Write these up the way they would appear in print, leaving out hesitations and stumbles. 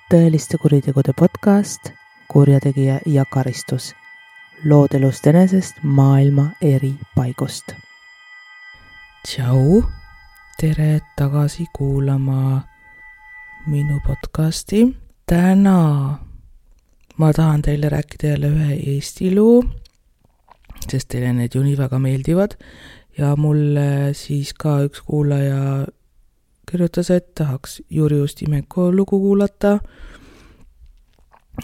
tõeliste kuritegude podcast Kurjategija ja karistus. Lood elust enesest maailma eri paigust. Tšau, tere tagasi kuulama minu podcasti. Täna ma tahan teile rääkida jälle ühe Eesti loo, sest teile need ju nii väga meeldivad ja mulle siis ka üks kuulaja kirjutas, et tahaks Juri Ustimenko lugu kuulata.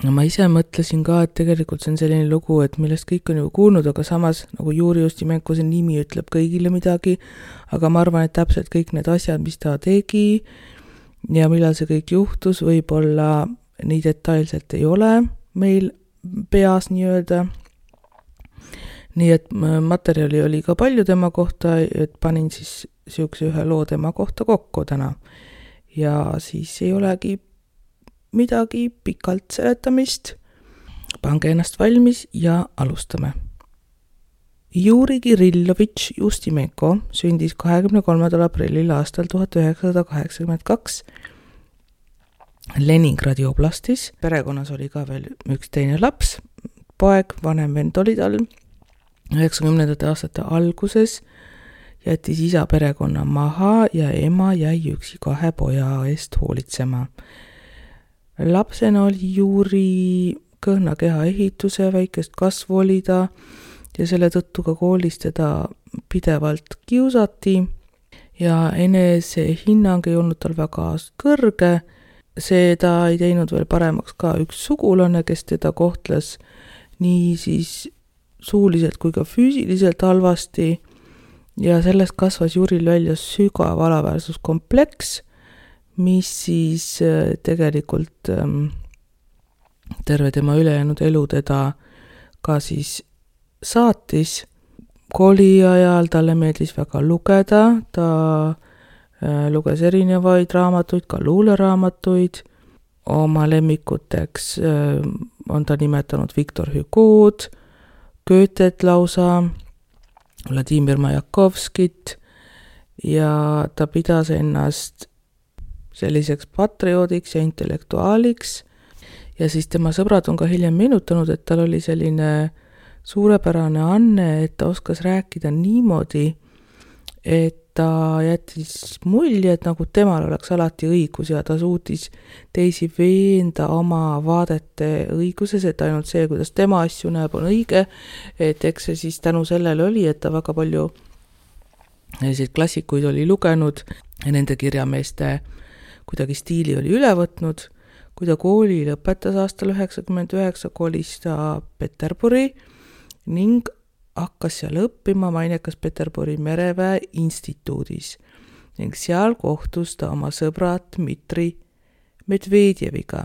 Ma ise mõtlesin ka, et tegelikult see on selline lugu, et millest kõik on ju kuulnud, aga samas nagu Juri Ustimenko see nimi ütleb kõigile midagi, aga ma arvan, et täpselt kõik need asjad, mis ta tegi ja millal see kõik juhtus, võib-olla nii detailselt ei ole meil peas nii-öelda. Nii et materjali oli ka palju tema kohta, et panin siis siukse ühe loo tema kohta kokku täna. Ja siis ei olegi midagi pikalt seletamist. Pange ennast valmis ja alustame. Juri Kirillovitš Ustimenko sündis 23. aprillil aastal 1982 Leningradi oblastis. Perekonnas oli ka veel üks teine laps, poeg, vanem vend oli tal. 90. aastate alguses jättis isa perekonna maha ja ema jäi üksi 2 poja eest hoolitsema. Lapsena oli Juri kõhna keha ehituse, väikest kasvu oli ta ja selle tõttu ka koolis teda pidevalt kiusati ja enese hinnang ei olnud tal väga kõrge. Seda ei teinud veel paremaks ka üks sugulane, kes teda kohtles nii siis suuliselt kui ka füüsiliselt halvasti ja sellest kasvas Juril välja sügav alaväärsuskompleks, mis siis tegelikult terve tema ülejäänud elu teda ka siis saatis. Kooli ajal talle meeldis väga lugeda, ta luges erinevaid raamatuid, ka luuleraamatuid. Oma lemmikuteks on ta nimetanud Victor Hugo'd, Goethet lausa, Vladimir Majakovskit ja ta pidas ennast selliseks patrioodiks ja intellektuaaliks ja siis tema sõbrad on ka hiljem meenutanud, et tal oli selline suurepärane anne, et ta oskas rääkida niimoodi, et ta jättis mulje, et nagu temal oleks alati õigus ja ta suutis teisi veenda oma vaadete õiguses, et ainult see, kuidas tema asju näeb, on õige, et eks see siis tänu sellele oli, et ta väga palju selliseid klassikuid oli lugenud ja nende kirjameeste kuidagi stiili oli üle võtnud. Kui ta kooli lõpetas aastal 1999, kolis ta Peterburi ning hakkas seal õppima mainekas Peterburi mereväe instituudis ning seal kohtus ta oma sõbra Dmitri Medvedjeviga.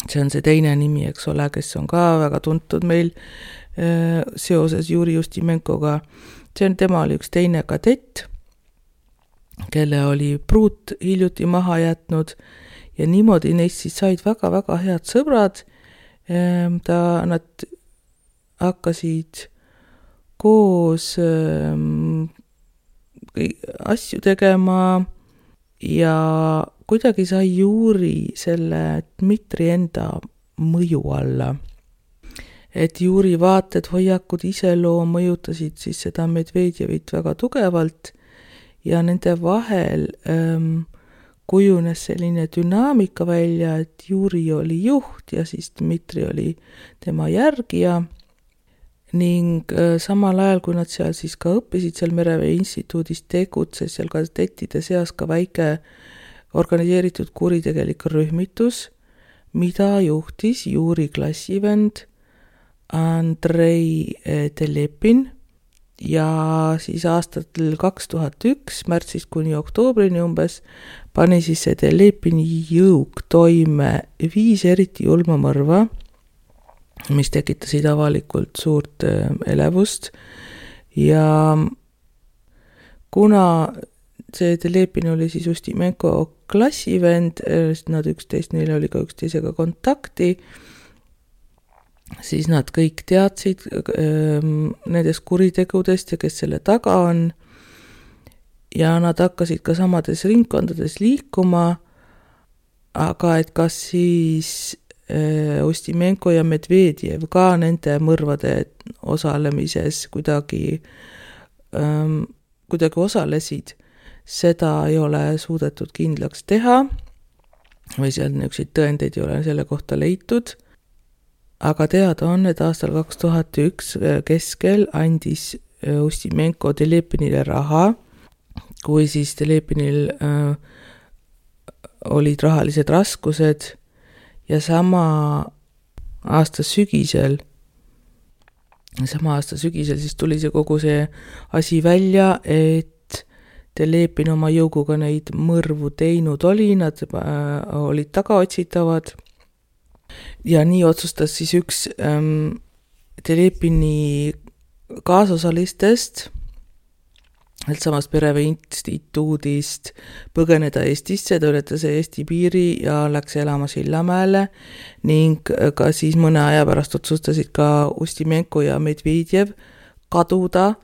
See on see teine nimi, eks ole, kes on ka väga tuntud meil seoses Juri Ustimenkoga. Tema oli üks teine kadett, kelle oli pruut hiljuti maha jätnud ja niimoodi neist siis said väga-väga head sõbrad. Nad hakkasid koos asju tegema ja kuidagi sai Juri selle Dmitri enda mõju alla. Et Juri vaated, hoiakud, iseloom mõjutasid siis seda Medvedjevit väga tugevalt ja nende vahel kujunes selline dünaamika välja, et Juri oli juht ja siis Dmitri oli tema järgija. Ning samal ajal, kui nad seal siis ka õppisid, seal mereväe instituudis tegutses seal kadettide seas ka väike organiseeritud kuritegelik rühmitus, mida juhtis Juri klassivend Andrei Telepin ja siis aastatel 2001 märtsist kuni oktoobrini umbes pani siis see Telepini jõuk toime 5 eriti julma mõrva, mis tekitasid avalikult suurt elevust ja kuna see Telepin oli siis Ustimenko klassivend, nad neil oli ka üksteisega kontakti, siis nad kõik teadsid nendest kuritegudest ja kes selle taga on ja nad hakkasid ka samades ringkondades liikuma, aga et kas siis Ustimenko ja Medvedjev ka nende mõrvade osalemises kuidagi osalesid, seda ei ole suudetud kindlaks teha või seal niisuguseid tõendeid ei ole selle kohta leitud. Aga teada on, et aastal 2001 keskel andis Ustimenko Telepinile raha, kui siis Telepinil olid rahalised raskused ja sama aasta sügisel siis tuli see kogu see asi välja, et Telepin oma jõuguga neid mõrvu teinud oli, nad olid tagaotsitavad ja nii otsustas siis üks Telepini kaasosalistest samast Perevee instituudist põgeneda Eestisse, ta ületas Eesti piiri ja läks elama Sillamäele ning ka siis mõne aja pärast otsustasid ka Ustimenko ja Medvedjev kaduda.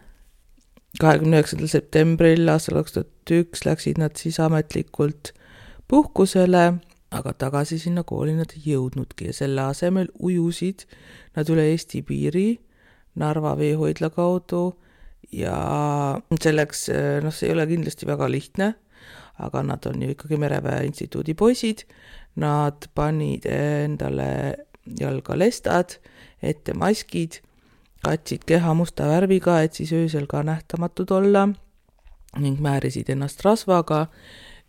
29. septembril aastal 2001 läksid nad siis ametlikult puhkusele, aga tagasi sinna kooli nad ei jõudnudki ja selle asemel ujusid nad üle Eesti piiri Narva veehoidla kaudu. Ja selleks, see ei ole kindlasti väga lihtne, aga nad on ju ikkagi Mereväe instituudi poisid, nad panid endale jalga lestad, ette maskid, katsid keha musta värviga, et siis öösel ka nähtamatud olla ning määrisid ennast rasvaga,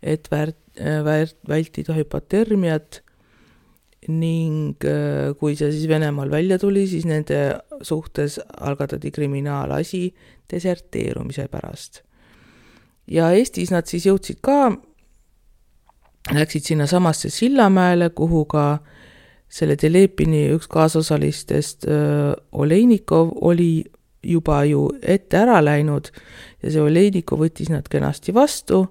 et vältida hüpotermiat ning kui see siis Venemaal välja tuli, siis nende suhtes algatati kriminaalasi deserteerumise pärast. Ja Eestis nad siis jõudsid ka, läksid sinna samasse Sillamäele, kuhu ka selle Telepini üks kaasosalistest Oleinikov oli juba ju ette ära läinud ja see Oleinikov võttis nad kenasti vastu,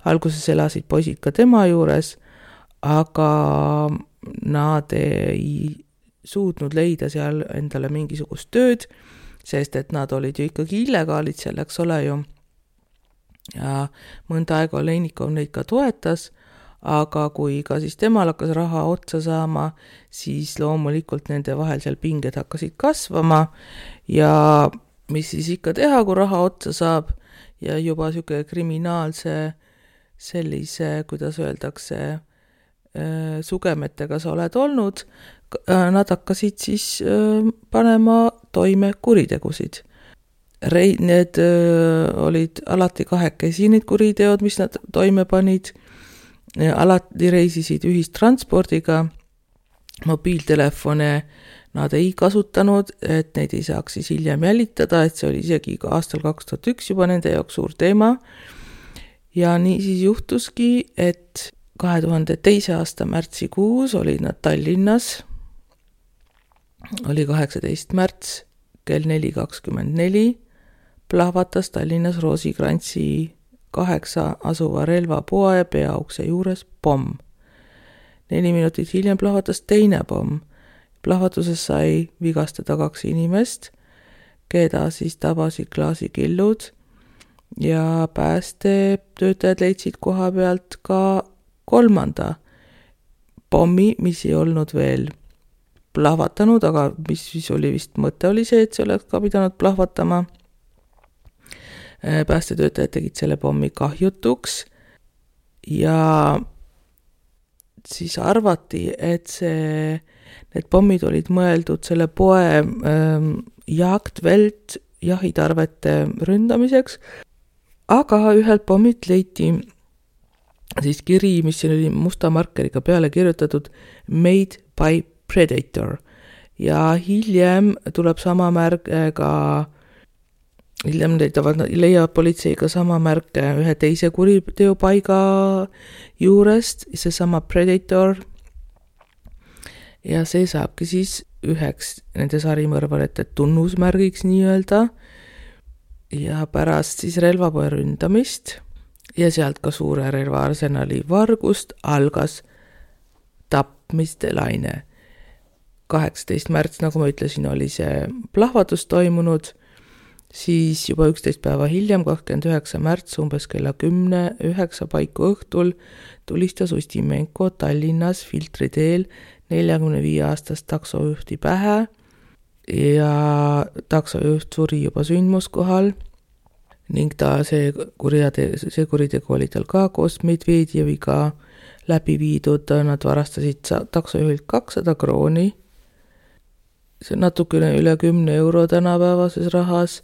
alguses elasid poisid ka tema juures, aga nad ei suutnud leida seal endale mingisugust tööd, sest et nad olid ju ikkagi illegaalid seal, eks ole ju. Ja mõnda aega Oleinikov neid ka toetas, aga kui ka siis temal hakkas raha otsa saama, siis loomulikult nende vahel seal pinged hakkasid kasvama ja mis siis ikka teha, kui raha otsa saab ja juba niisugune kriminaalse sellise, kuidas öeldakse, sugemetega sa oled olnud, nad hakkasid siis panema toime kuritegusid. Need olid alati kahekesi need kuriteod, mis nad toime panid, alati reisisid ühistranspordiga, mobiiltelefone nad ei kasutanud, et neid ei saaks siis hiljem jälitada, et see oli isegi ka aastal 2001 juba nende jaoks suur teema. Ja nii siis juhtuski, et 2002. aasta märtsikuus olid nad Tallinnas, oli 18. märts kell 4:24, plahvatas Tallinnas Roosikrantsi 8 asuva relvapoe peaukse juures pomm. 4 minutit hiljem plahvatas teine pomm. Plahvatuses sai vigastada 2 inimest, keda siis tabasid klaasikillud ja päästetöötajad leidsid koha pealt ka 3. pommi, mis ei olnud veel plahvatanud, aga mis siis oli vist mõte oli see, et see oleks ka pidanud plahvatama. Päästetöötajad tegid selle pommi kahjutuks ja siis arvati, et need pommid olid mõeldud selle poe Jagdwelt jahitarvete ründamiseks, aga ühelt pommilt leiti siis kiri, mis oli musta markeriga peale kirjutatud Made by Predator ja hiljem tuleb sama märgega, hiljem leiab politseiga sama märke ühe teise kuriteopaiga juurest, see sama Predator ja see saabki siis üheks nende sarimõrvarite tunnusmärgiks nii-öelda ja pärast siis relvapoe ründamist ja sealt ka suure relvaarsenali vargust algas tapmiste laine. 18. märts, nagu ma ütlesin, oli see plahvatus toimunud, siis juba 11 päeva hiljem, 29. märts, umbes kella 10-9 paiku õhtul, tulistas Ustimenko Tallinnas Filtri teel 45-aastast taksojuhti pähe ja taksojuht suri juba sündmuskohal ning see kuritegu oli tal ka koos Medvedjeviga läbi viidud. Nad varastasid taksojuhilt 200 krooni, see natukene üle 10 euro tänapäevases rahas,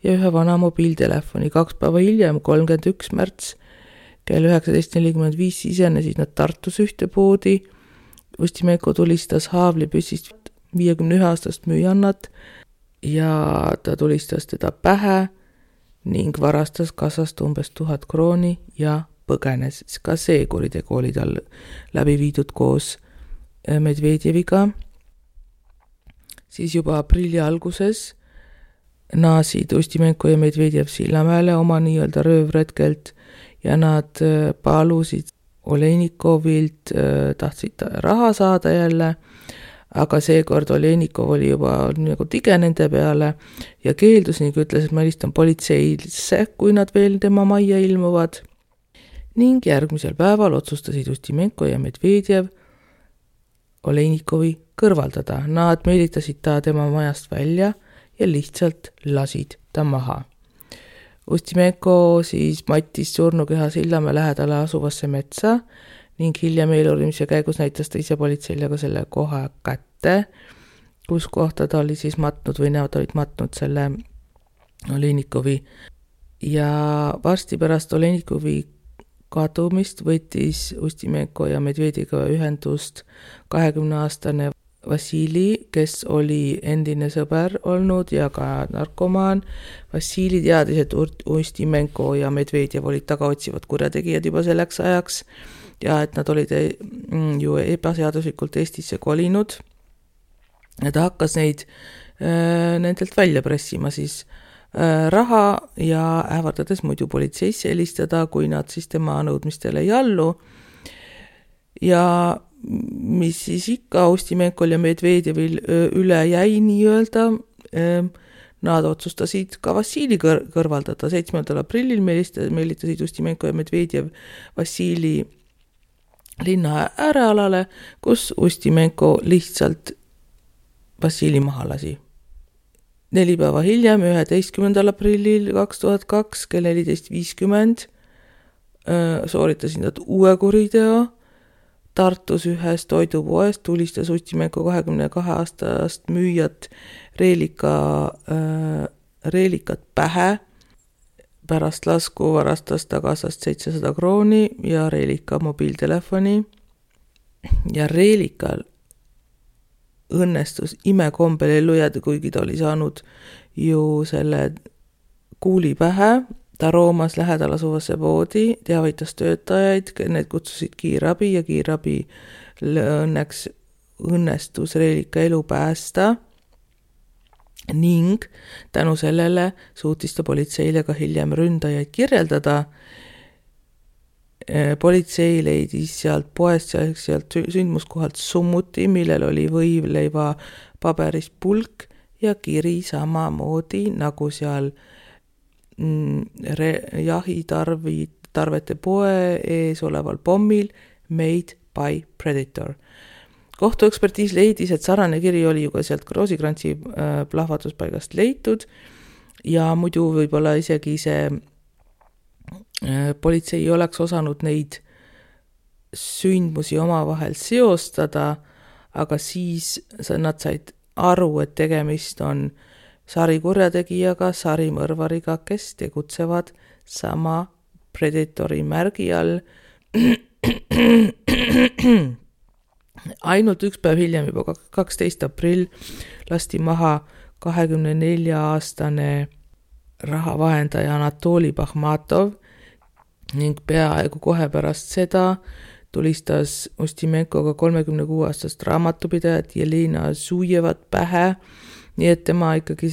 ja ühe vana mobiiltelefoni. 2 päeva hiljem, 31. märts, kell 19.45 sisenesid nad Tartus ühte poodi. Ustimenko tulistas haavlipüssist 51-aastast müüjannat ja ta tulistas teda pähe ning varastas kassast umbes 1000 krooni ja põgenes. Ka see kuritegu oli tal läbi viidud koos Medvedjeviga. Siis juba aprilli alguses naasid Ustimenko ja Medvedjev Sillamäele oma nii-öelda röövretkelt ja nad palusid Olenikovilt, tahtsid raha saada jälle, aga seekord Olenikov oli juba nagu tige nende peale ja keeldus ning ütles, et ma helistan politseisse, kui nad veel tema majja ilmuvad. Ning järgmisel päeval otsustasid Ustimenko ja Medvedjev Olenikovi kõrvaldada. Nad meelitasid ta tema majast välja ja lihtsalt lasid ta maha. Ustimenko siis mattis surnukeha Sillamäe lähedale asuvasse metsa ning hiljem eeluurimise käigus näitas ta ise politseile ka selle koha kätte, kus kohta ta oli siis matnud või nad olid matnud selle Olenikovi. Ja varsti pärast Olenikovi kadumist võttis Ustimenko ja Medvedjeviga ühendust 20-aastane Vassili, kes oli endine sõber olnud ja ka narkomaan. Vassili teadis, et Ustimenko ja Medvedjev olid tagaotsivad kurjategijad juba selleks ajaks ja et nad olid ju ebaseaduslikult Eestisse kolinud. Ja ta hakkas neid nendelt välja pressima siis raha ja ähvardades muidu politseisse helistada, kui nad siis tema nõudmistele ei allu. Ja mis siis ikka Ustimenkol ja Medvedjevil üle jäi nii-öelda, nad otsustasid ka Vassili kõrvaldada. 7. aprillil meelitasid Ustimenko ja Medvedjev Vassili linna äärealale, kus Ustimenko lihtsalt Vassili maha lasi. 4 päeva hiljem, 11. aprillil 2002 kell 14.50 sooritasid nad uue kuriteo. Tartus ühes toidupoest tulistas Ustimenko 22-aastast müüjat reelikat pähe. Pärast lasku varastas ta kassast 700 krooni ja reelika mobiiltelefoni. Ja reelikal õnnestus imekombel ellu jääda, kuigi ta oli saanud ju selle kuuli pähe. Ta roomas lähedal asuvasse poodi, teavitas töötajaid, need kutsusid kiirabi ja kiirabi õnneks õnnestus reelika elu päästa ning tänu sellele suutis ta politseile ka hiljem ründajaid kirjeldada. Politsei leidis sealt poest, sealt sündmuskohalt summuti, millel oli võivleiva paberist pulk ja kiri samamoodi nagu seal jahitarvete poe ees oleval pommil Made by Predator. Kohtuekspertiis leidis, et sarnane kiri oli ju ka sealt Roosikrantsi plahvatuspaigast leitud ja muidu võib-olla isegi see politsei ei oleks osanud neid sündmusi omavahel seostada, aga siis nad said aru, et tegemist on sarikurjategijaga, sarimõrvariga, kes tegutsevad sama Predatori märgi all. Ainult 1 päev hiljem, juba 12. aprill, lasti maha 24-aastane rahavahendaja Anatoli Bakhmatov ning peaaegu kohe pärast seda tulistas Ustimenkoga 36-aastast raamatupidajat Jelena Zujevat pähe. Nii et tema ikkagi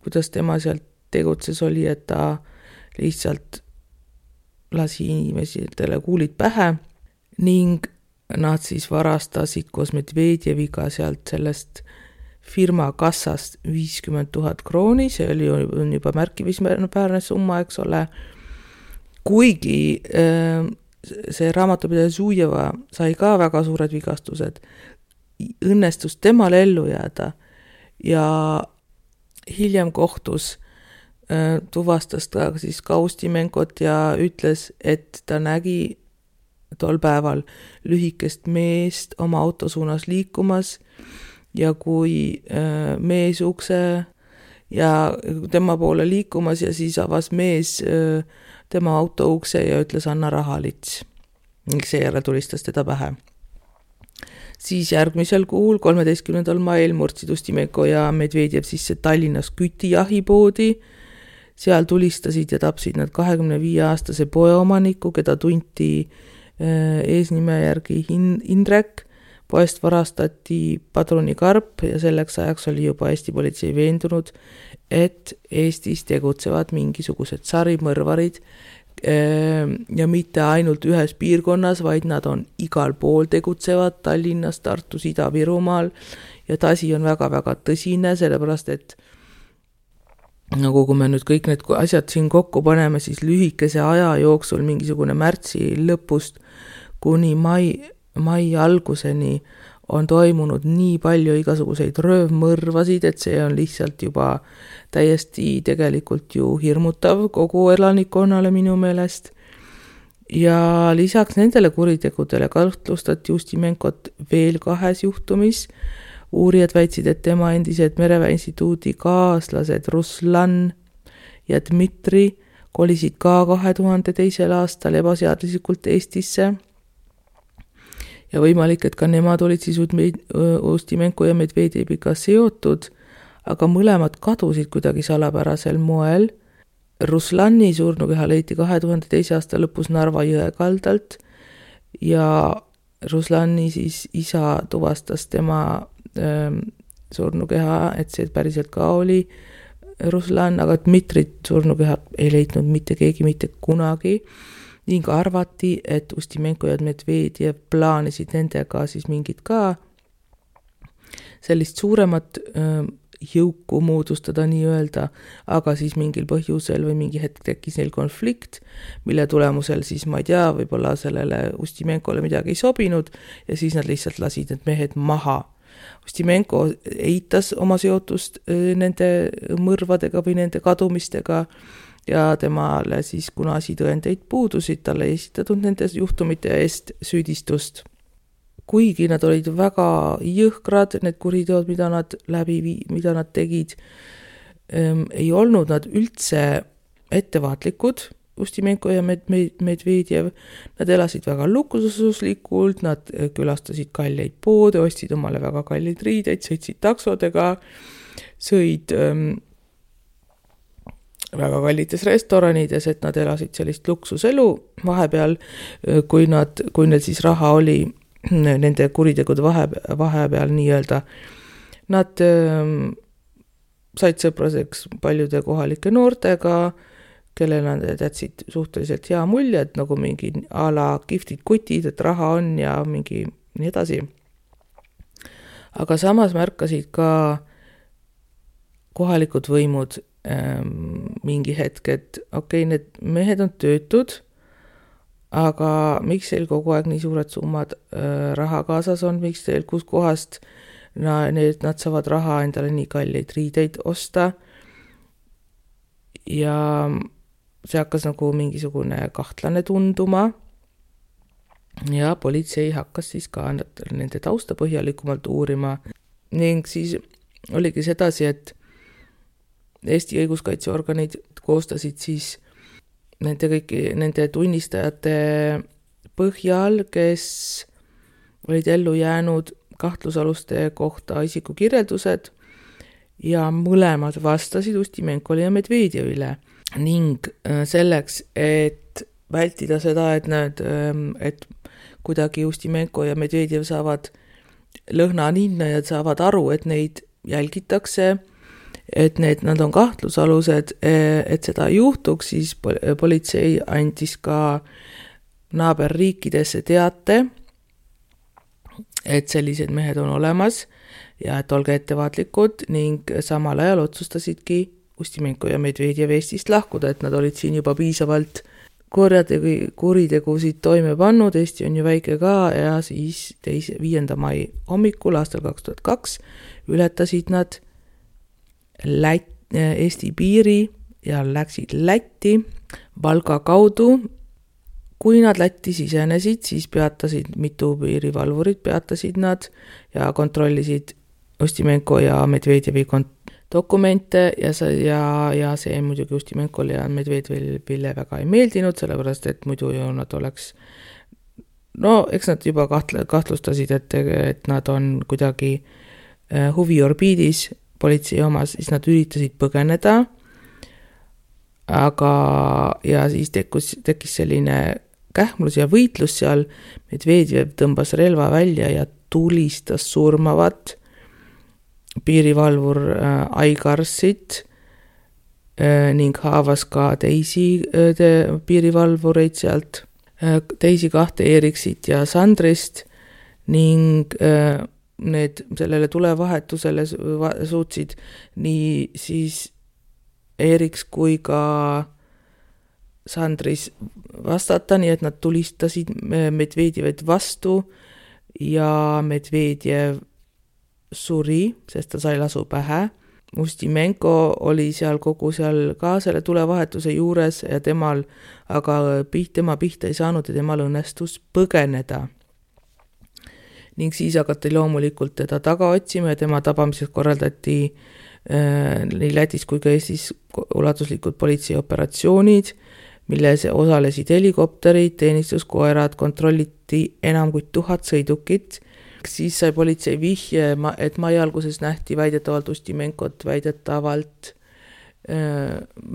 kuidas tema sealt tegutses oli, et ta lihtsalt lasi inimesitele kuulid pähe ning nad siis varastasid koos Medvedjeviga sealt sellest firma kassast 50 000 krooni, see on juba märkimisväärne summa, eks ole. Kuigi see raamatupidaja Zujeva sai ka väga suured vigastused, õnnestus temal ellu jääda ja hiljem kohtus tuvastas ta siis ka Ustimenkot ja ütles, et ta nägi tol päeval lühikest meest oma auto suunas liikumas ja kui mees ukse ja tema poole liikumas ja siis avas mees tema auto ukse ja ütles anna rahalits. Ning seejärel tulistas teda pähe. Siis järgmisel kuul, 13. mail murdsid Ustimenko ja Medvedjev sisse Tallinnas kütijahipoodi. Seal tulistasid ja tapsid nad 25-aastase poeomaniku, keda tunti eesnime järgi Indrek. Poest varastati padrunikarp ja selleks ajaks oli juba Eesti politsei veendunud, et Eestis tegutsevad mingisugused sarimõrvarid ja mitte ainult ühes piirkonnas, vaid nad on igal pool tegutsevad Tallinnas, Tartus, Ida-Virumaal ja tasi on väga-väga tõsine, sellepärast et nagu kui me nüüd kõik need asjad siin kokku paneme, siis lühikese aja jooksul mingisugune märtsi lõpust kuni mai alguseni on toimunud nii palju igasuguseid röövmõrvasid, et see on lihtsalt juba täiesti tegelikult ju hirmutav kogu elanikkonnale minu meelest. Ja lisaks nendele kuritegudele kahtlustati Ustimenkot veel 2 juhtumis. Uurijad väitsid, et tema endised Mereväe instituudi kaaslased Ruslan ja Dmitri kolisid ka 2002. aastal ebaseaduslikult Eestisse. Ja võimalik, et ka nemad olid siis Ustimenko ja Medvedjeviga seotud, aga mõlemad kadusid kuidagi salapärasel moel. Ruslani surnukeha leiti 2002. aasta lõpus Narva jõe kaldalt ja Ruslani siis isa tuvastas tema surnukeha, et see päriselt ka oli Ruslan, aga Dmitrit surnukeha ei leidnud mitte keegi mitte kunagi. Ning arvati, et Ustimenko ja Medvedjev plaanisid nendega siis mingid ka sellist suuremat jõuku moodustada nii öelda, aga siis mingil põhjusel või mingi hetk tekkis neil konflikt, mille tulemusel siis ma ei tea, võib-olla sellele Ustimenkole midagi ei sobinud ja siis nad lihtsalt lasid need mehed maha. Ustimenko eitas oma seotust nende mõrvadega või nende kadumistega ja temale siis kuna asitõendeid puudusid, talle ei esitatud nende juhtumite eest süüdistust. Kuigi nad olid väga jõhkrad, need kuriteod, mida nad tegid, ei olnud nad üldse ettevaatlikud, Ustimenko ja Medvedjev. Nad elasid väga luksuslikult, nad külastasid kalleid poode, ostsid omale väga kalleid riideid, sõitsid taksodega, sõid väga kallites restoranides, et nad elasid sellist luksuselu. Vahepeal, kui neil siis raha oli nende kuritegude vahepeal nii öelda, nad said sõpraseks paljude kohalike noortega, kellel nad jätsid suhteliselt hea mulje, et nagu mingi a la kihvtid kutid, et raha on ja mingi nii edasi. Aga samas märkasid ka kohalikud võimud mingi hetk, et okei, need mehed on töötud, aga miks teil kogu aeg nii suured summad raha kaasas on, miks teil kus kohast nad saavad raha endale nii kalleid riideid osta ja see hakkas nagu mingisugune kahtlane tunduma ja politsei hakkas siis ka nende tausta põhjalikumalt uurima ning siis oligi sedasi, et Eesti õiguskaitseorganid koostasid siis nende tunnistajate põhjal, kes olid ellu jäänud kahtlusaluste kohta isikukirjeldused ja mõlemad vastasid Ustimenkole ja Medvedjevile ning selleks, et vältida seda, et kuidagi Ustimenko ja Medvedjev saavad lõhna ninna ja saavad aru, et neid jälgitakse, et nad on kahtlusalused, et seda ei juhtuks, siis politsei andis ka naaberriikidesse teate, et sellised mehed on olemas ja et olge ettevaatlikud ning samal ajal otsustasidki Ustimenko ja Medvedjev Eestist lahkuda, et nad olid siin juba piisavalt kuritegusid toime pannud, Eesti on ju väike ka ja siis 5. mai hommikul aastal 2002 ületasid nad Eesti piiri ja läksid Lätti Valga kaudu. Kui nad Lätti sisenesid, siis peatasid mitu piirivalvurit, peatasid nad ja kontrollisid Ustimenko ja Medvedjevi dokumente ja see muidugi Ustimenkole ja Medvedjevile väga ei meeldinud, sellepärast et muidu ju nad oleks, eks nad juba kahtlustasid, et nad on kuidagi huviorbiidis politsei omas, siis nad üritasid põgeneda, ja siis tekkis selline kähmlus ja võitlus seal, Medvedjev tõmbas relva välja ja tulistas surmavat piirivalvur Aigarsit ning haavas ka teisi piirivalvureid sealt, teisi 2 Eriksit ja Sandrist ning need sellele tulevahetusele suutsid nii siis Eriks kui ka Sandris vastata, nii et nad tulistasid Medvedjevet vastu ja Medvedjev suri, sest ta sai lasu pähe. Ustimenko oli seal ka selle tulevahetuse juures ja tema pihta ei saanud ja temal õnnestus põgeneda. Ning siis hakati loomulikult teda taga otsima ja tema tabamiseks korraldati nii Lätis kui ka Eestis ulatuslikud politseioperatsioonid, milles osalesid helikopterid, teenistuskoerad, kontrolliti enam kui 1000 sõidukit. Siis sai politsei vihje, et mai alguses nähti väidetavalt Ustimenkot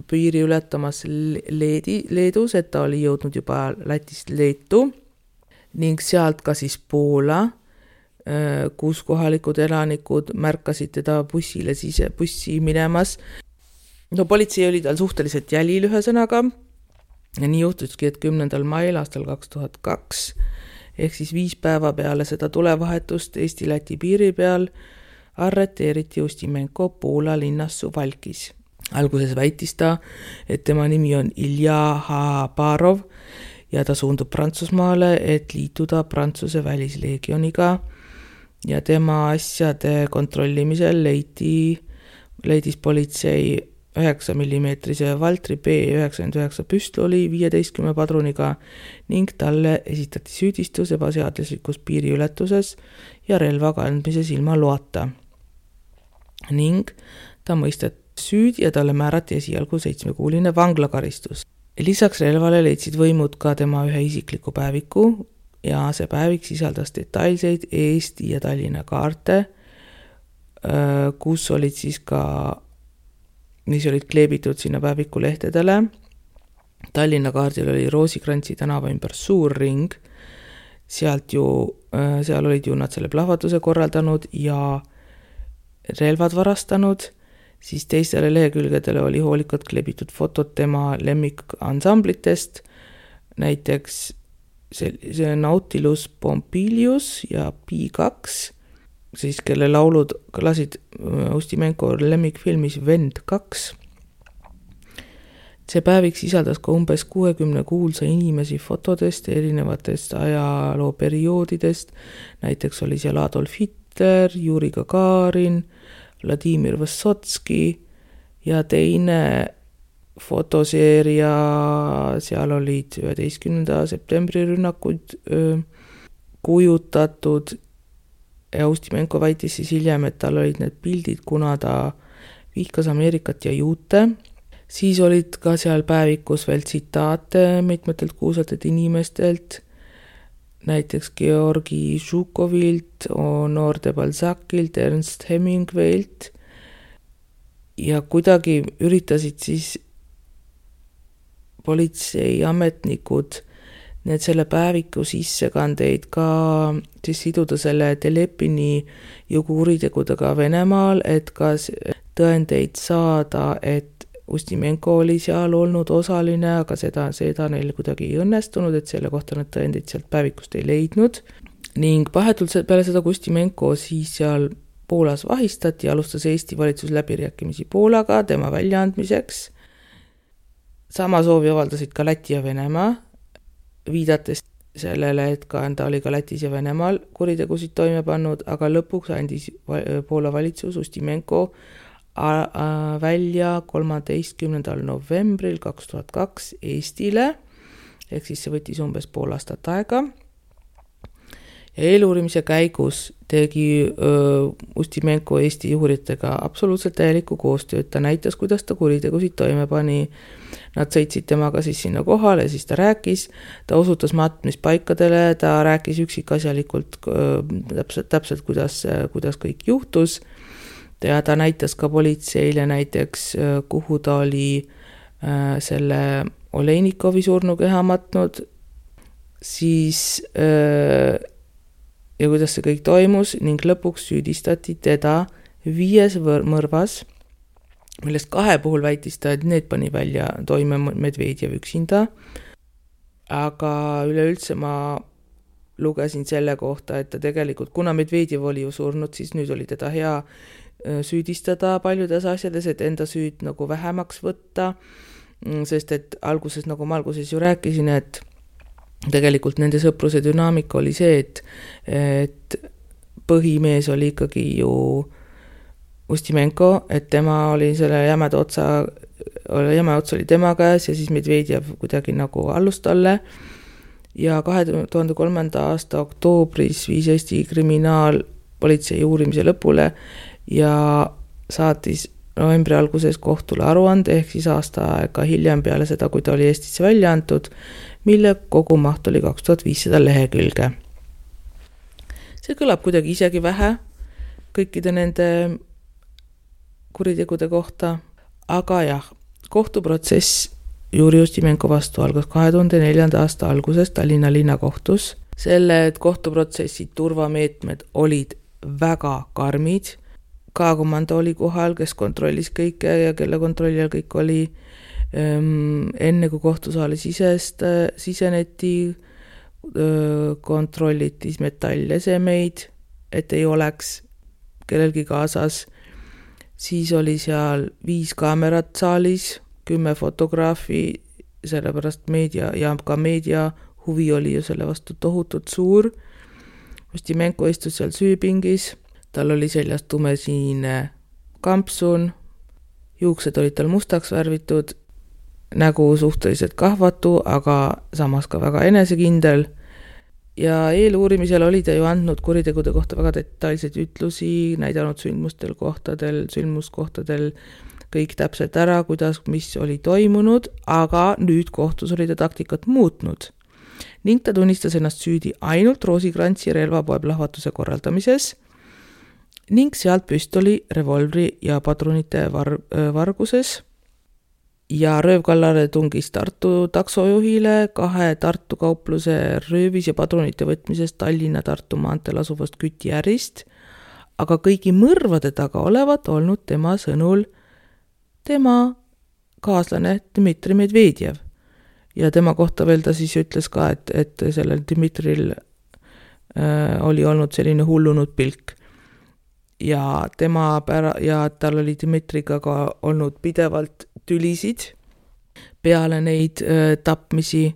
piiri ületamas Leedus, et ta oli jõudnud juba Lätist Leetu ning sealt ka siis Poola, kus kohalikud elanikud märkasid teda bussi minemas. Politsei oli tal suhteliselt jälil ühesõnaga ja nii juhtuski, et 10. mail aastal 2002 ehk siis 5 päeva peale seda tulevahetust Eesti-Läti piiri peal arreteeriti Ustimenko Poola linnas Suwałkis. Alguses väitis ta, et tema nimi on Ilja Habarov ja ta suundub Prantsusmaale, et liituda Prantsuse välisleegioniga ja tema asjade kontrollimisel leidis politsei 9 mm Valtri B99 püstoli 15 padruniga ning talle esitati süüdistus ebaseaduslikus piiriületuses ja relva kandmises ilma loata. Ning ta mõisteti süüdi ja talle määrati esialgu 7-kuuline vanglakaristus. Lisaks relvale leidsid võimud ka tema ühe isikliku päeviku ja see päevik sisaldas detailseid Eesti ja Tallinna kaarte, kus olid siis ka mis olid kleebitud sinna päeviku lehtedele. Tallinna kaardil oli Roosikrantsi tänava ümber suur ring. Seal olid ju nad selle plahvatuse korraldanud ja relvad varastanud. Siis teistele lehekülgedele oli hoolikalt kleebitud fotod tema lemmikansamblitest. Näiteks see Nautilus Pompilius ja P2, siis kelle laulud kõlasid Ustimenko lemmikfilmis Vend 2. See päevik sisaldas ka umbes 60 kuulsa inimesi fotodest erinevatest ajalooperioodidest. Näiteks oli seal Adolf Hitler, Juri Gagarin, Vladimir Vysotski ja teine fotoseeria, seal olid 11. septembri rünnakud kujutatud. Ja Ustimenko väitis siis hiljem, et tal olid need pildid, kuna ta vihkas Ameerikat ja juute. Siis olid ka seal päevikus veel tsitaate mitmetelt kuulsatelt inimestelt, näiteks Georgi Žukovilt, Honor de Balzacilt, Ernst Hemingwaylt ja kuidagi üritasid siis politseiametnikud need selle päeviku sissekandeid ka siis siduda selle Telepini kuritegudega Venemaal, et ka tõendeid saada, et Ustimenko oli seal olnud osaline, aga seda neil kuidagi ei õnnestunud, et selle kohta need tõendeid sealt päevikust ei leidnud. ning vahetult peale seda Ustimenko siis seal Poolas vahistati ja alustas Eesti valitsus läbirääkimisi Poolaga tema väljaandmiseks. Sama soovi avaldasid ka Läti ja Venemaa, viidates sellele, et ta oli ka Lätis ja Venemaal kuritegusid toime pannud, aga lõpuks andis Poola valitsus Ustimenko välja 13. novembril 2002 Eestile, ehk siis see võttis umbes pool aastat aega. Ja eeluurimise käigus tegi Ustimenko Eesti juuritega absoluutselt täielikku koostööd. Ta näitas, kuidas ta kuritegusid toime pani. Nad sõitsid temaga siis sinna kohale, siis ta rääkis, ta osutas matmispaikadele, ta rääkis üksikasjalikult täpselt kuidas kõik juhtus. Ja ta näitas ka politseile näiteks, kuhu ta oli selle Oleinikovi surnukeha matnud, siis ja kuidas see kõik toimus ning lõpuks süüdistati teda 5 mõrvas, millest 2 puhul väitis ta, et need pani välja toime Medvedjev üksinda. Aga üleüldse ma lugesin selle kohta, et ta tegelikult, kuna Medvedjev oli ju surnud, siis nüüd oli teda hea süüdistada paljudes asjades, et enda süüd nagu vähemaks võtta, sest et alguses, nagu ma alguses ju rääkisin, et tegelikult nende sõpruse dünaamika oli see, et põhimees oli ikkagi ju Ustimenko, et tema oli selle jäme ots oli tema käes ja siis Medvedjev kuidagi nagu allus talle. Ja 2003. aasta oktoobris viis Eesti kriminaalpolitsei uurimise lõpule ja saatis novembri alguses kohtule aruande, ehk siis aasta aega hiljem peale seda, kui ta oli Eestisse välja antud, mille kogumaht oli 2500 lehekülge. See kõlab kuidagi isegi vähe kõikide nende kuritegude kohta, aga jah, kohtuprotsess Juri Ustimenko vastu algas 2004. aasta alguses Tallinna linnakohtus. Selle kohtuprotsessi turvameetmed olid väga karmid. K-komando oli kohal, kes kontrollis kõike ja kelle kontrolli all kõik oli. Enne kui kohtusaali siseneti, kontrolliti metallesemeid, et ei oleks kellelgi kaasas. Siis oli seal 5 kaamerat saalis, 10 fotograafi, sellepärast meedia huvi oli ju selle vastu tohutult suur. Ustimenko istus seal süüpingis, tal oli seljas tumesiine kampsun, juuksed olid tal mustaks värvitud, nägu suhteliselt kahvatu, aga samas ka väga enesekindel. Ja eeluurimisel oli ta ju andnud kuritegude kohta väga detailseid ütlusi, näidanud sündmuskohtadel kõik täpselt ära, kuidas, mis oli toimunud, aga nüüd kohtus oli ta taktikat muutnud. Ning ta tunnistas ennast süüdi ainult Roosikrantsi relvapoe plahvatuse korraldamises ning sealt püstoli, revolvri ja padrunite varguses. Ja röövkallale tungis Tartu taksojuhile 2 Tartu kaupluse röövis ja padrunite võtmisest Tallinna-Tartu maanteel asuvast kütiärist, aga kõigi mõrvade taga olevat olnud tema sõnul tema kaaslane Dmitri Medvedjev. Ja tema kohta veel ta siis ütles ka, et sellel Dmitril oli olnud selline hullunud pilk. Ja tal oli Dmitriga ka olnud pidevalt tülisid peale neid tapmisi,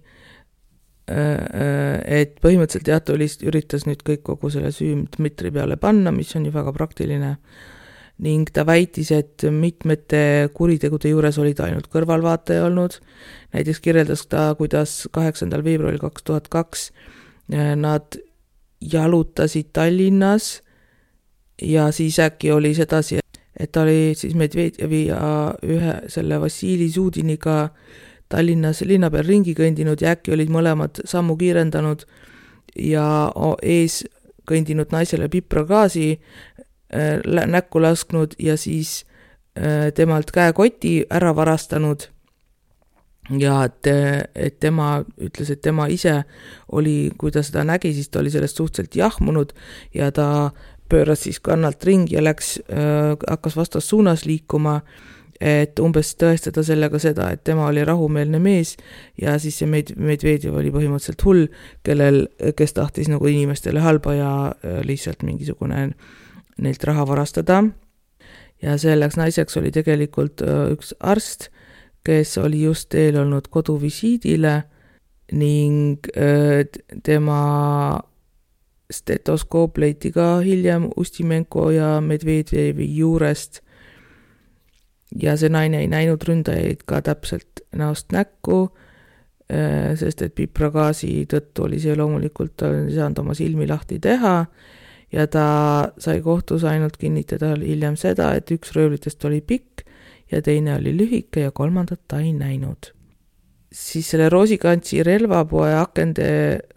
et põhimõtteliselt ta üritas nüüd kogu selle süü Dmitri peale panna, mis on ju väga praktiline, ning ta väitis, et mitmete kuritegude juures olid ainult kõrvalvaataja olnud. Näiteks kirjeldas ta, kuidas 8. veebruaril 2002 nad jalutasid Tallinnas ja siis äkki oli sedasi, et ta oli siis Medvedjevi ja ühe selle Vassili Zudiniga Tallinnas linna peal ringi kõndinud ja äkki olid mõlemad sammu kiirendanud ja ees kõndinud naisele pipragaasi näkku lasknud ja siis temalt käekoti ära varastanud. Ja et tema ütles, et tema ise oli, kui ta seda nägi, siis ta oli sellest suhteliselt jahmunud ja ta pööras siis kannalt ringi ja hakkas vastas suunas liikuma, et umbes tõestada sellega seda, et tema oli rahumeelne mees ja siis see Medvedjev oli põhimõtteliselt hull, kes tahtis nagu inimestele halba ja lihtsalt mingisugune neilt raha varastada. Ja selleks naiseks oli tegelikult üks arst, kes oli just eel olnud koduvisiidile ning tema stetoskoop leiti ka hiljem Ustimenko ja Medvedjevi juurest. Ja see naine ei näinud ründajaid ka täpselt näost näkku, sest et pipragaasi tõttu oli see loomulikult ei saanud oma silmi lahti teha ja ta sai kohtus ainult kinnitada hiljem seda, et üks röövlitest oli pikk ja teine oli lühike ja kolmandat ta ei näinud. Siis selle Rosikantsi relvapoe akende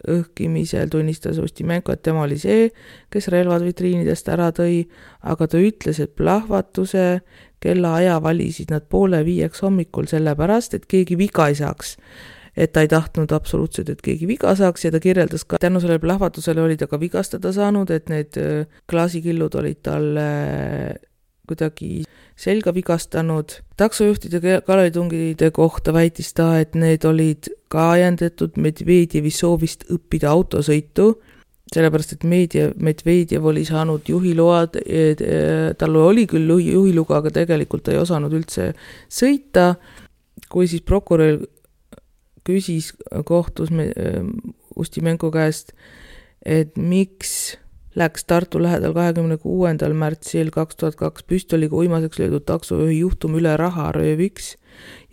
õhkimisel tunnistas Ustimenko, et tema oli see, kes relvad vitriinidest ära tõi, aga ta ütles, et plahvatuse kella aja valisid nad 4:30 hommikul sellepärast, et keegi viga ei saaks. Et ta ei tahtnud absoluutselt, et keegi viga saaks ja ta kirjeldas ka, tänu sellele plahvatusele oli ta ka vigastada saanud, et need klaasikillud olid talle kuidagi selga vigastanud. Taksojuhtide kallalitungide kohta väitis ta, et need olid ka ajendatud Medvedjevi soovist õppida autosõitu, sellepärast et Medvedjev oli saanud juhiload, tal oli küll juhiluga, aga tegelikult ei osanud üldse sõita. Kui siis prokurör küsis kohtus Ustimenko käest, et miks läks Tartu lähedal 26. märtsil 2002 püstoliga uimaseks löödud taksojuhi juhtum üle raharööviks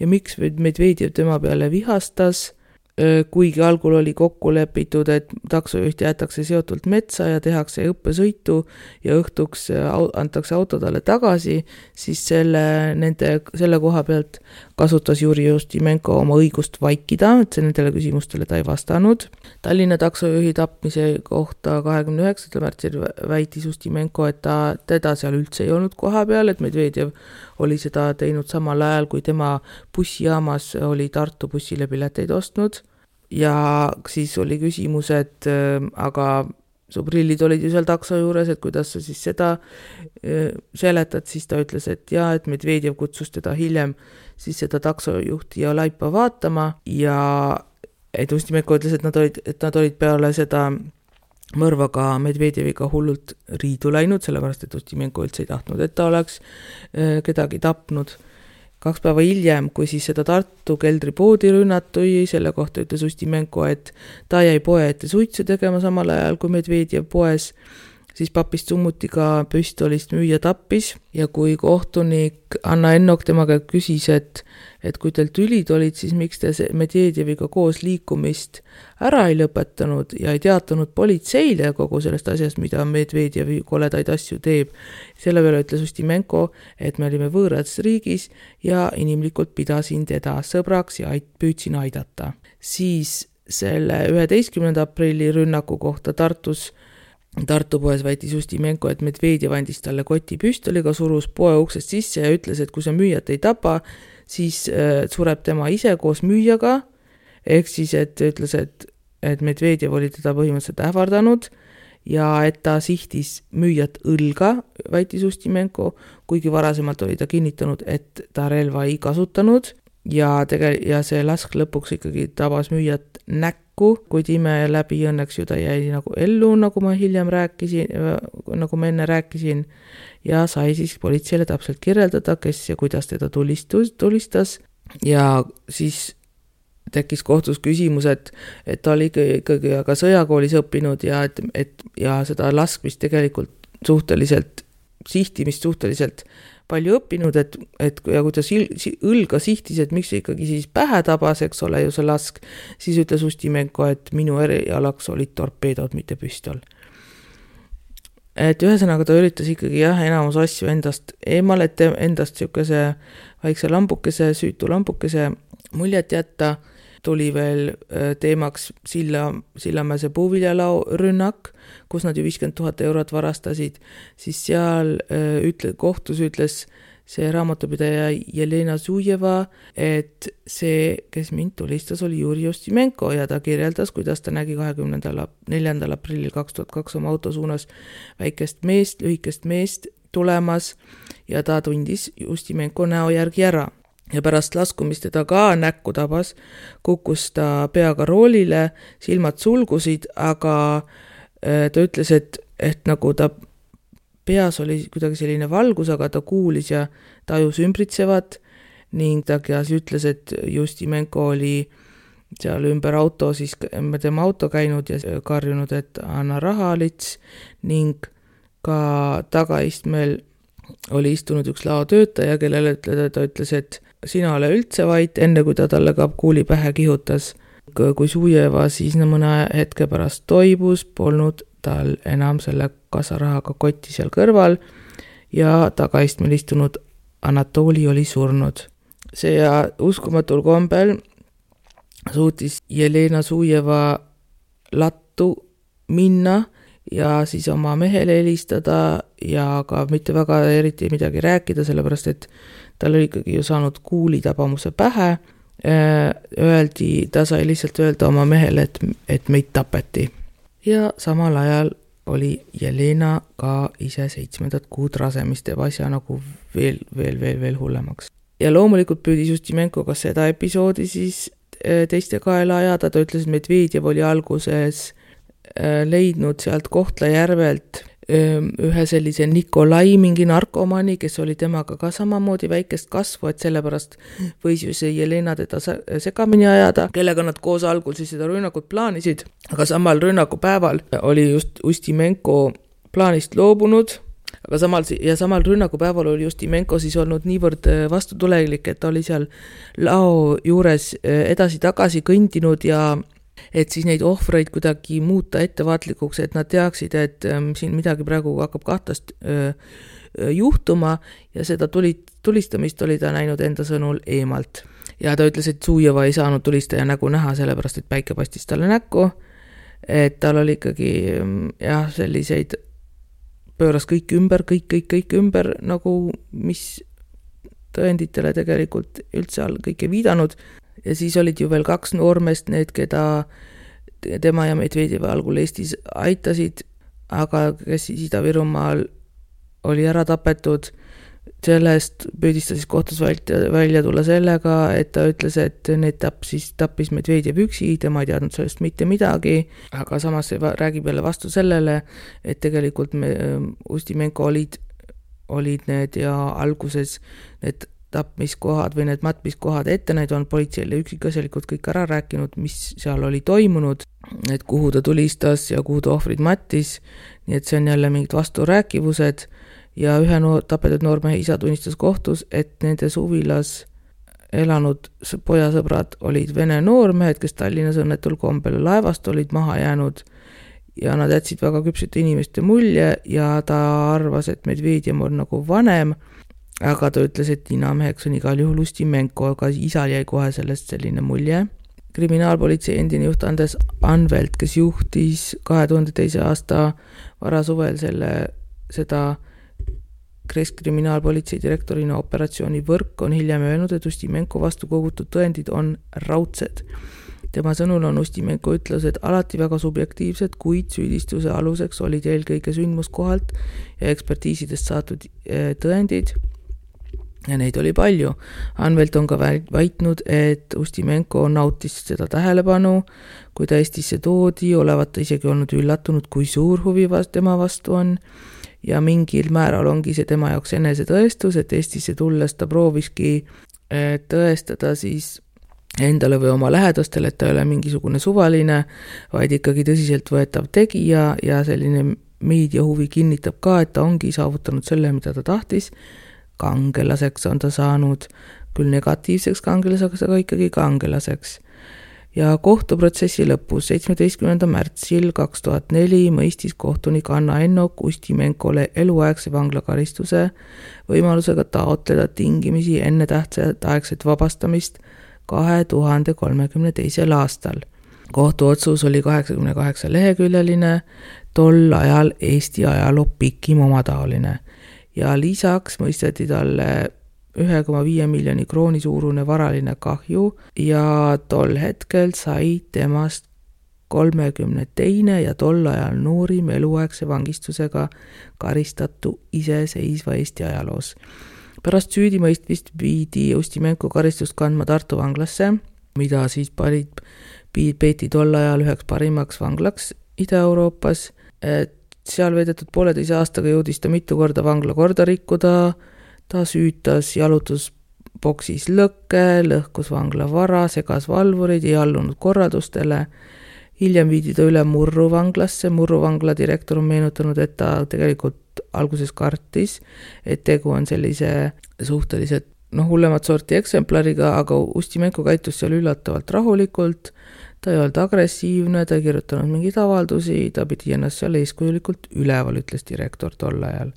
ja miks Medvedjev tema peale vihastas, kuigi algul oli kokku lepitud, et taksojuht jäetakse seotult metsa ja tehakse õppesõitu ja õhtuks antakse auto talle tagasi, siis selle koha pealt kasutas Juri Ustimenko oma õigust vaikida, et see nendele küsimustele ta ei vastanud. Tallinna taksojuhi tapmise kohta 29. märtsil väitis Ustimenko, et teda seal üldse ei olnud koha peal, et Medvedjev oli seda teinud samal ajal, kui tema bussijaamas oli Tartu bussile pileteid ostnud. Ja siis oli küsimus, et aga su prillid olid ju seal takso juures, et kuidas sa siis seda seletad, siis ta ütles, et et Medvedjev kutsus teda hiljem siis seda taksojuhti ja laipa vaatama ja et Ustimenko ütles, et nad olid peale seda mõrvaga Medvedjeviga hullult riidu läinud, sellepärast et Ustimenko üldse ei tahtnud, et ta oleks kedagi tapnud. 2 päeva hiljem, kui siis seda Tartu keldripoodi rünnatui, selle kohta ütles Ustimenko, et ta jäi poe ette suitsu tegema samal ajal, kui Medvedjev poes, siis papist summutiga püstolist müüja tappis ja kui kohtunik Anna Ennok temaga küsis, et kui teil tülid olid, siis miks te Medvedjeviga koos liikumist ära ei lõpetanud ja ei teatanud politseile kogu sellest asjast, mida Medvedjevi koledaid asju teeb. Selle peale ütles Ustimenko, et me olime võõras riigis ja inimlikult pidasin teda sõbraks ja püüdsin aidata. Siis selle 11. aprilli rünnaku kohta Tartu poes väitis Ustimenko, et Medvedjev andis talle koti püstoliga, surus poe uksest sisse ja ütles, et kui sa müüjat ei tapa, siis sureb tema ise koos müüjaga, ehk siis, et ütles, et Medvedjev oli teda põhimõtteliselt ähvardanud ja et ta sihtis müüjat õlga, väitis Ustimenko, kuigi varasemalt oli ta kinnitanud, et ta relva ei kasutanud ja see lask lõpuks ikkagi tabas müüjat näkku, kuid ime läbi õnneks ju ta jäi nagu ellu, nagu ma enne rääkisin ja sai siis politseile täpselt kirjeldada, kes ja kuidas teda tulistas ja siis tekkis kohtus küsimus, et ta oli ikkagi aga sõjakoolis õppinud ja seda laskmist tegelikult sihtimist suhteliselt palju õppinud, et kui ta õlga sihtis, et miks ikkagi siis pähe tabas, eks ole ju see lask, siis ütles Ustimenko, et minu erialaks olid torpeedod, mitte püstol. Et ühesõnaga ta üritas ikkagi enamus asju endast eemal, et endast niisuguse väikse lambukese, süütu lambukese muljet jätta. Tuli veel teemaks Sillamäese puuviljalao rünnak, kus nad ju 50 000 eurot varastasid, siis seal kohtus ütles see raamatupidaja Jelena Zujeva, et see, kes mind tulistas, oli Juri Ustimenko ja ta kirjeldas, kuidas ta nägi 24. aprillil 2002 oma auto suunas väikest meest, lühikest meest, tulemas ja ta tundis Ustimenko näo järgi ära. Ja pärast laskumist teda ka näkku tabas, kukkus ta peaga roolile, silmad sulgusid, aga ta ütles, et nagu ta peas oli kuidagi selline valgus, aga ta kuulis ja tajus ümbritsevat ning ta ütles, et Ustimenko oli seal ümber auto, siis tema auto käinud ja karjunud, et anna raha lits ning ka tagaistmel oli istunud üks laotöötaja, kellele ta ütles, et sina ole üldse vait, enne kui ta talle ka kuuli pähe kihutas. Kui Zujeva siis mõne hetke pärast toibus, polnud tal enam selle kasarahaga kotti seal kõrval ja tagaistmel istunud Anatoli oli surnud. See ja uskumatul kombel suutis Jelena Zujeva lattu minna ja siis oma mehele helistada ja ka mitte väga eriti midagi rääkida, sellepärast et tal oli ikkagi ju saanud kuulitabamuse pähe. Ta sai lihtsalt öelda oma mehele, et meid tapeti. Ja samal ajal oli Jelena ka ise 7. kuud rasemist teeb asja nagu veel hullemaks. Ja loomulikult püüdis Ustimenko ka seda episoodi siis teiste kaela ajada. Ta ütles, et Medvedjev oli alguses leidnud sealt Kohtla-Järvelt ühe sellise Nikolai mingi narkomani, kes oli temaga ka samamoodi väikest kasvu, et sellepärast võis ju see Jelena teda segamini ajada, kellega nad koos algul siis seda rünnakut plaanisid, aga samal rünnakupäeval oli just Ustimenko plaanist loobunud, aga samal rünnakupäeval oli Ustimenko siis olnud niivõrd vastutulelik, et ta oli seal lao juures edasi-tagasi kõndinud ja et siis neid ohvreid kuidagi muuta ettevaatlikuks, et nad teaksid, et siin midagi praegu hakkab kahtast juhtuma ja seda tulistamist oli ta näinud enda sõnul eemalt. Ja ta ütles, et Zujeva ei saanud tulistaja nägu näha, sellepärast et päike paistis talle näkku, et tal oli ikkagi selliseid pööras kõik ümber, nagu mis tõenditele tegelikult üldse kõik ei viidanud. Ja siis olid ju veel 2 noormest, need, keda tema ja Medvedjev algul Eestis aitasid, aga kes siis Ida-Virumaal oli ära tapetud. Sellest püüdis ta siis kohtus välja tulla sellega, et ta ütles, et need tappis Medvedjev üksi, tema ei teadnud sellest mitte midagi, aga samas räägib jälle vastu sellele, et tegelikult Ustimenko olid need ja alguses need tapmiskohad või need matmiskohad ette näid on politseile üksikasjalikult kõik ära rääkinud, mis seal oli toimunud, et kuhu ta tulistas ja kuhu ta ohvrid mattis, nii et see on jälle mingid vasturääkivused ja ühe tapetud noormehe isa tunnistas kohtus, et nende suvilas elanud pojasõbrad olid vene noormehed, kes Tallinnas õnnetul kombel laevast olid maha jäänud ja nad jätsid väga küpsete inimeste mulje ja ta arvas, et Medvedjev on nagu vanem, aga ta ütles, et ninameheks on igal juhul Ustimenko, aga isal jäi kohe sellest selline mulje. Kriminaalpolitsei endine juht Andres Anvelt, kes juhtis 2002. aasta varasuvel seda Keskkriminaalpolitsei direktorina operatsiooni Võrk, on hiljem öelnud, et Ustimenko vastu kogutud tõendid on raudsed. Tema sõnul on Ustimenko ütlused alati väga subjektiivsed, kuid süüdistuse aluseks olid eelkõige sündmuskohalt ja ekspertiisidest saadud tõendid. Ja neid oli palju. Anvelt on ka väitnud, et Ustimenko nautis seda tähelepanu, kui ta Eestisse toodi, olevat ta isegi olnud üllatunud, kui suur huvi tema vastu on ja mingil määral ongi see tema jaoks enesetõestus, et Eestisse tulles ta prooviski tõestada siis endale või oma lähedastele, et ta ei ole mingisugune suvaline, vaid ikkagi tõsiselt võetav tegija ja selline meediahuvi kinnitab ka, et ta ongi saavutanud selle, mida ta tahtis. Kangelaseks on ta saanud, küll negatiivseks kangelaseks, aga ikkagi kangelaseks. Ja kohtuprotsessi lõpus 17. märtsil 2004 mõistis kohtunik Anna Ennok Ustimenkole eluaegse vanglakaristuse võimalusega taotleda tingimisi enne tähtaegset vabastamist 2032. aastal. Kohtuotsus oli 88 leheküljeline, tol ajal Eesti ajaloo pikim omataoline. Ja lisaks mõisteti talle 1,5 miljoni krooni suurune varaline kahju ja tol hetkel sai temast 32. ja tol ajal noorim eluaegse vangistusega karistatu iseseisva Eesti ajaloos. Pärast süüdimõistmist viidi Ustimenko karistust kandma Tartu vanglasse, mida siis peeti tol ajal üheks parimaks vanglaks Ida-Euroopas. Seal veedetud 1,5 aastaga jõudis ta mitu korda vangla korda rikkuda, ta süütas jalutusboksis lõkke, lõhkus vangla vara, segas valvurid, ei allunud korraldustele. Hiljem viidi ta üle Murru vanglasse. Murru vangla direktor on meenutanud, et ta tegelikult alguses kartis, et tegu on sellise suhteliselt hullemat sorti eksemplariga, aga Ustimenko käitus seal üllatavalt rahulikult, ta ei olnud agressiivne, ta ei kirjutanud mingeid avaldusi, ta pidi ennast seal eeskujulikult üleval, ütles direktor tol ajal.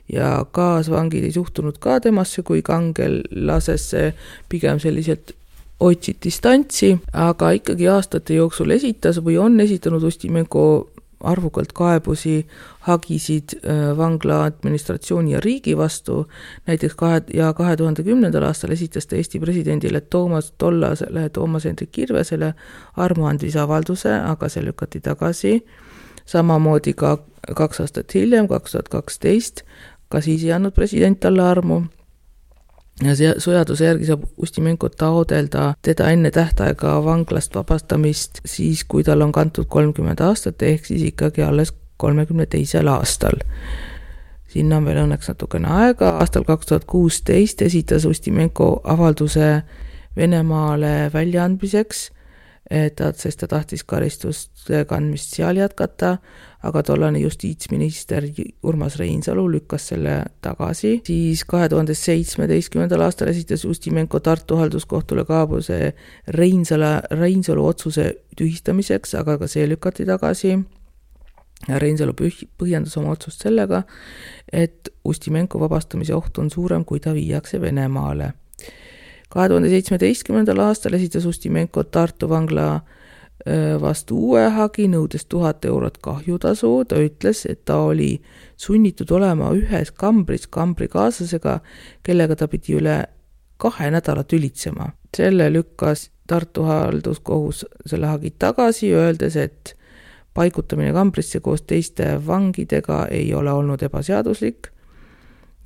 Ja kaasvangid ei suhtunud ka temasse kui kangelasesse, pigem selliselt otsid distantsi, aga ikkagi aastate jooksul esitas või on esitanud Ustimenko arvukalt kaebusi, hagisid vangla administratsiooni ja riigi vastu. Näiteks 2010. aastal esitas ta Eesti presidendile tollasele Toomas Hendrik Kirvesele armuandmisavalduse, aga see lükati tagasi. Samamoodi ka 2 aastat hiljem, 2012, ka siis ei andnud president talle armu. Ja sõjaduse järgi saab Ustimenko taodelda teda enne tähtaega vanglast vabastamist siis, kui tal on kantud 30 aastat, ehk siis ikkagi alles 32. aastal. Sinna on veel õnneks natukene aega. Aastal 2016 esitas Ustimenko avalduse Venemaale väljaandmiseks, sest ta tahtis karistuste kandmist seal jätkata, aga tollane justiitsminister Urmas Reinsalu lükkas selle tagasi. Siis 2017. aastal esitas Ustimenko Tartu halduskohtule kaebuse Reinsalu otsuse tühistamiseks, aga ka see lükati tagasi. Reinsalu põhjendas oma otsust sellega, et Ustimenko vabastamise oht on suurem, kui ta viiakse Venemaale. 2017. aastal esitas Ustimenko Tartu vangla vastu uue hagi, nõudes 1000 eurot kahjutasu. Ta ütles, et ta oli sunnitud olema ühes kambris kambrikaaslasega, kellega ta pidi üle 2 nädalat ülitsema. Selle lükkas Tartu halduskohus selle hagi tagasi, öeldes, et paigutamine kambrisse koos teiste vangidega ei ole olnud ebaseaduslik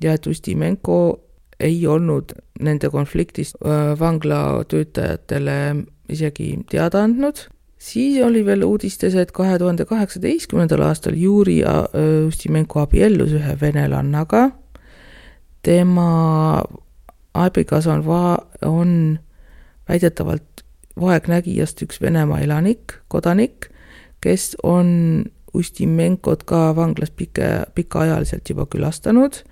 ja et Ustimenko ei olnud nende konfliktist vangla töötajatele isegi teada andnud. Siis oli veel uudistes, et 2018. aastal Juri Ustimenko abiellus ühe venelannaga. Tema abikaasa on väidetavalt vaegnägijast üks Venemaa kodanik, kes on Ustimenkot ka vanglas pikaajaliselt juba külastanud.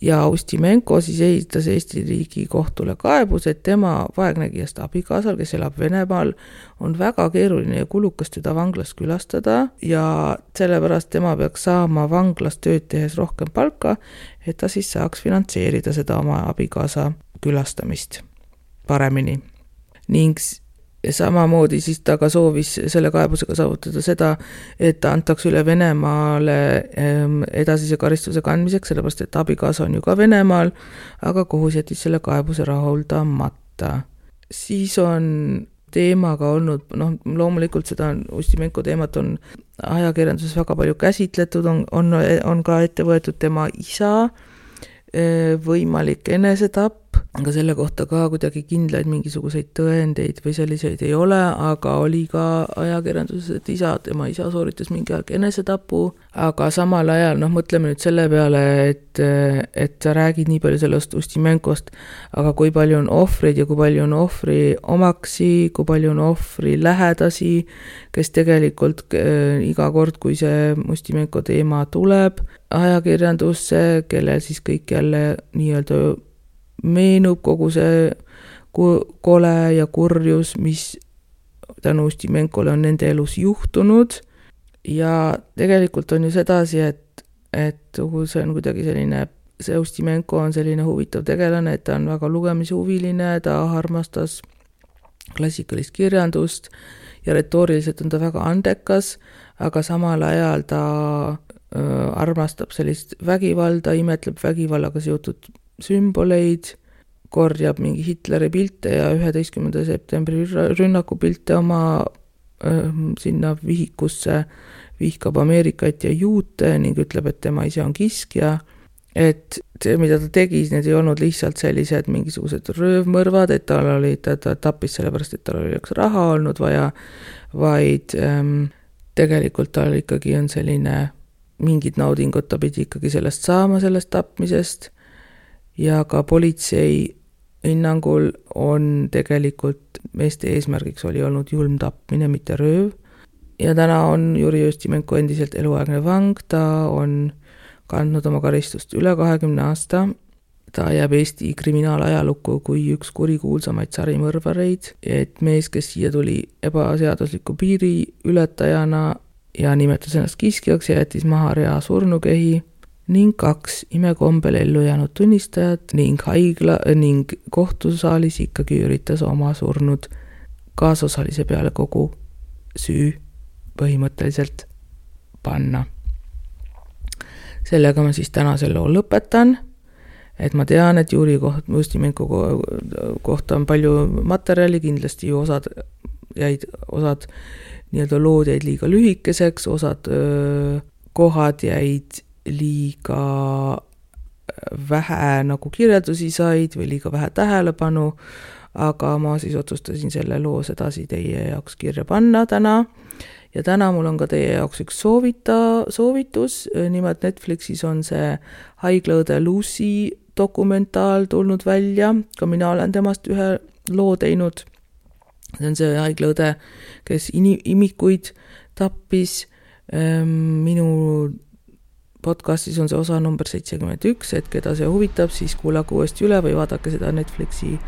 Ja Ustimenko siis esitas Eesti riigi kohtule kaebus, et tema vaegnägijast abikaasal, kes elab Venemaal, on väga keeruline ja kulukas teda vanglas külastada ja sellepärast tema peaks saama vanglas tööd tehes rohkem palka, et ta siis saaks finantseerida seda oma abikaasa külastamist paremini. Ning samamoodi siis ta ka soovis selle kaebusega saavutada seda, et ta antaks üle Venemaale edasise karistuse kandmiseks, sellepärast et abikaasa on ju ka Venemaal, aga kohus jättis selle kaebuse rahuldamata. Siis on teemaga olnud, loomulikult seda Ustimenko teemat on ajakirjanduses väga palju käsitletud, on ka ette võetud tema isa võimalik enesetapp, aga selle kohta ka kuidagi kindlaid mingisuguseid tõendeid või selliseid ei ole, aga oli ka ajakirjanduses, et tema isa sooritas mingi aeg enesetapu, aga samal ajal, mõtleme nüüd selle peale, et sa räägid nii palju sellest Ustimenkost, aga kui palju on ohvreid ja kui palju on ohvri omaksi, kui palju on ohvri lähedasi, kes tegelikult iga kord, kui see Ustimenko teema tuleb ajakirjandusse, kellel siis kõik jälle nii-öelda meenub kogu see kole ja kurjus, mis tänu Ustimenkole on nende elus juhtunud. Ja tegelikult on ju sedasi, et see on kuidagi selline, see Ustimenko on selline huvitav tegelane, et ta on väga lugemishuviline, ta armastas klassikalist kirjandust ja retooriliselt on ta väga andekas, aga samal ajal ta armastab sellist vägivalda, imetleb vägivallaga seotud sümboleid, korjab mingi Hitleri pilte ja 11. septembri rünnaku pilte oma sinna vihikusse, vihkab Ameerikat ja juute ning ütleb, et tema ise on kiskja. Et see, mida ta tegi, need ei olnud lihtsalt sellised mingisugused röövmõrvad, et ta tappis sellepärast, et tal oli üks raha olnud vaja, vaid tegelikult tal ikkagi on selline mingid naudingud, ta pidi ikkagi sellest saama, sellest tapmisest ja ka politsei hinnangul on tegelikult meeste eesmärgiks oli olnud julm tapmine, mitte rööv. Ja täna on Juri Ustimenko endiselt eluaegne vang, ta on kandnud oma karistust üle 20 aasta. Ta jääb Eesti kriminaalajalukku kui üks kurikuulsamaid sarimõrvareid, et mees, kes siia tuli ebaseadusliku piiri ületajana ja nimetas ennast kiskjaks ja jättis maha rea surnukehi ning 2 imekombel ellu jäänud tunnistajat ning kohtusaalis ikkagi üritas oma surnud kaasosalise peale kogu süü põhimõtteliselt panna. Sellega ma siis täna selle loo lõpetan, et ma tean, et Juri Ustimenko kohta on palju materjali, kindlasti ju osad nii-öelda lood jäid liiga lühikeseks, osad kohad jäid liiga vähe nagu kirjeldusi said või liiga vähe tähelepanu, aga ma siis otsustasin selle loo sedasi teie jaoks kirja panna täna. Ja täna mul on ka teie jaoks üks soovitus, nimelt Netflixis on see haiglaõde Lucy dokumentaal tulnud välja, ka mina olen temast ühe loo teinud. See on see haiglaõde, kes imikuid tappis. Minu podcastis on see osa number 71, et keda see huvitab, siis kuulake uuesti üle või vaadake seda Netflixi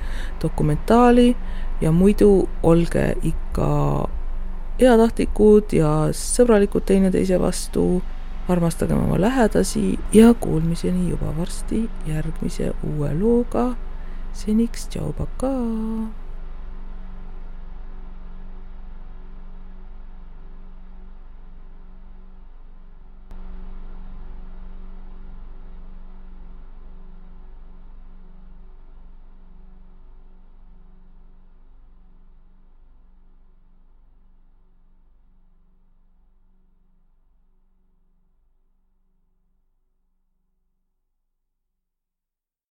dokumentaali ja muidu olge ikka heatahtlikud ja sõbralikud teineteise vastu, armastagem oma lähedasi ja kuulmiseni juba varsti järgmise uue looga. Seniks, tšau, pakaa!